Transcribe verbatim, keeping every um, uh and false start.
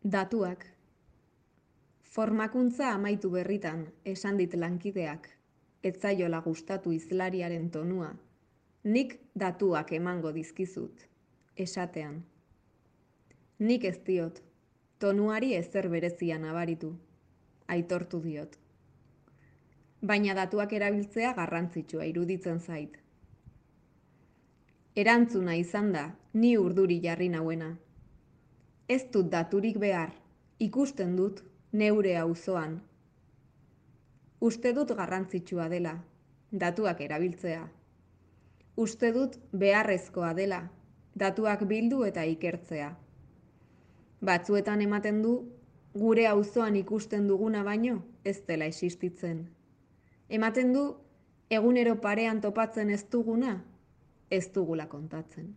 Datuak. Formakuntza amaitu berritan, esan dit lankideak, ez zaiola gustatu hizlariaren tonua, nik datuak emango dizkizut, esatean. Nik ez diot, tonuari ezer berezia nabaritu, aitortu diot. Baina datuak erabiltzea garrantzitsua iruditzen zait. Erantzuna izan da, ni urduri jarri nauena. Ez dut daturik behar, ikusten dut neure auzoan. Uste dut garrantzitsua dela, datuak erabiltzea. Uste dut beharrezkoa dela, datuak bildu eta ikertzea. Batzuetan ematen du, gure auzoan ikusten duguna baino ez dela existitzen. Ematen du, egunero parean topatzen ez duguna, ez dugula kontatzen.